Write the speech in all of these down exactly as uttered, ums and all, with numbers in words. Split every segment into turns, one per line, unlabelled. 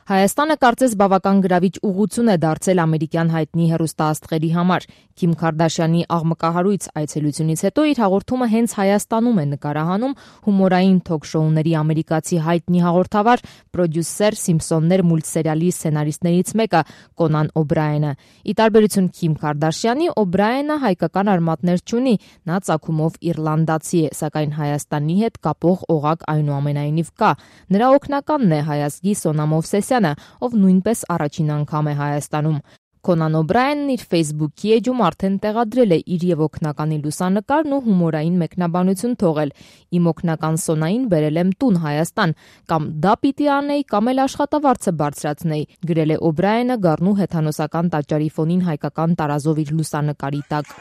Հայաստանը կարծես բավական գրավիչ ուղղություն է դարձել ամերիկյան հայտնի հեռուստաաստղերի համար։ Քիմ Քարդաշյանի աղմկահարույց այցելությունից հետո իր հաղորդումը հենց Հայաստանում է նկարահանում հումորային թոք-շոուների ամերիկացի հայտնի հաղորդավար, պրոդյուսեր, Սիմփսոններ մուլտսերիալի սցենարիստներից մեկը Կոնան Օբրայենը։ Ի տարբերություն Քիմ Քարդաշյանի, Օբրայենը հայկական արմատներ չունի, նա ծագումով իռլանդացի է, սակայն Հայաստանի հետ կապող օղակ այնուամենայնիվ կա։ Նրա օգնականն է հայազգի Սոնա Մովսեսյանը, ով նույնպես առաջին անգամ է Հայաստանում։ Կոնան Օբրայենն իր Facebook-ի էջում արդեն տեղադրել է իր եւ օգնականի լուսանկարն ու հումորային մեկնաբանություն թողել. «Իմ օգնական Սոնային բերել եմ տուն Հայաստան, կամ դա պիտի անեի, կամ էլ աշխատավարձը բարձրացնեի», գրել է Օբրայենը գառնու հեթանոսական տաճարի ֆոնին հայկական տարազով իր լուսանկարի տակ։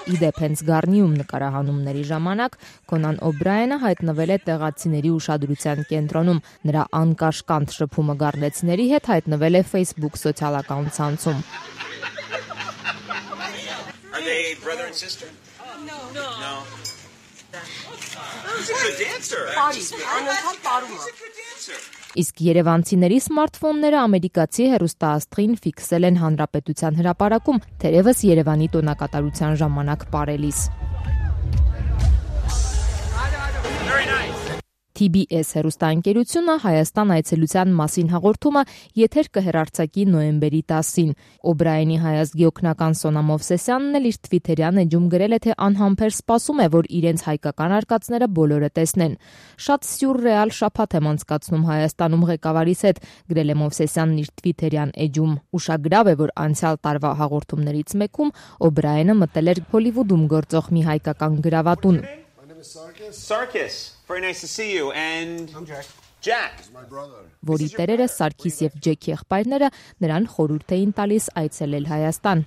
Իդեպ հենց Գառնիում նկարահանումների ժամանակ Կոնան Օբրայենը հայտնվել է տեղացիների ուշադրության կենտրոնում։ Նրա անկաշկանդ շփումը գառնեցիների հետ հայտնվել է Facebook սոցիալական ցանցում։ Իսկ երևանցիների սմարթֆոնները ամերիկացի հեռուստաաստղին ֆիքսել են Հանրապետության հրապարակում, թերևս Երևանի տոնակատարության ժամանակ պարելիս։ T B S հեռուստաընկերությունը Հայաստան այցելության մասին հաղորդումը եթեր կհեռարձակի նոյեմբերի տասին։ Օբրայենի հայազգի օգնական Սոնա Մովսեսյանն էլ իր թվիթերյան էջում գրել է, թե անհամբեր սպասում է, որ իրենց հայկական արկածները բոլորը տեսնեն։ Շատ սյուրռեալ շաբաթ եմ անցկացնում Հայաստանում ղեկավարիս հետ, գրել է Մովսեսյանն իր թվիթերյան էջում։ Ուշագրավ է, որ անցյալ տարվա հաղորդումներից մեկում Օբրայենը մտել էր Հոլիվուդում գործող մի հայկական գրավատուն։
Sarkis, very nice to see you, and I'm Jack. Jack. My brother.
Որի տերերը Սարգիս եւ Ջեք եղբայրները նրան խորհուրդ էին տալիս այցելել Հայաստան։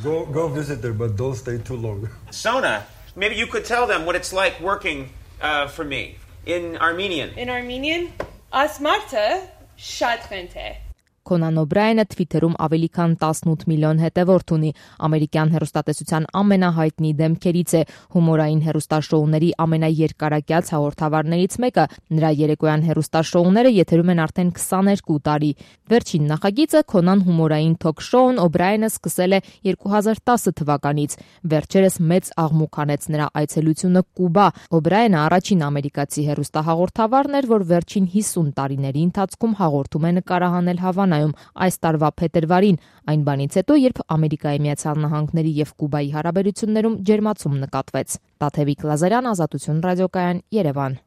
Go go visit there, but don't stay too long.
Sona, maybe you could tell them what it's like working uh, for me in Armenian.
In Armenian, Asmarta Shadrente.
Կոնան Օբրայենը Թվիթերում ավելի քան տասնութ միլիոն հետևորդ ունի, ամերիկյան հեռուստատեսության ամենահայտնի դեմքերից է, հումորային հեռուստաշոուների ամենաերկարակյաց հաղորդավարներից մեկը, նրա երեկոյան հեռուստաշոուները եթերում են արդեն քսաներկու տարի։ Վերջին նախագիծը Կոնան հումորային թոք-շոուն Օբրայենը սկսել է երկու հազար տասը թվականից, վերջերս մեծ աղմուկ անեց նրա այցելությունը Կուբա։ Օբրայենը առաջին ամերիկացի հեռուստահաղորդավարն էր, որ վերջին հիսուն տարիների ընթացքում հաղորդում է նկարահանել Հավանայում այս տարվա փետրվարին, այն բանից հետո, երբ Ամերիկայի Միացյալ Նահանգների եւ Կուբայի հարաբերություններում ջերմացում նկատվեց։ Տաթևիկ Լազարյան, Ազատություն ռադիոկայան, Երևան։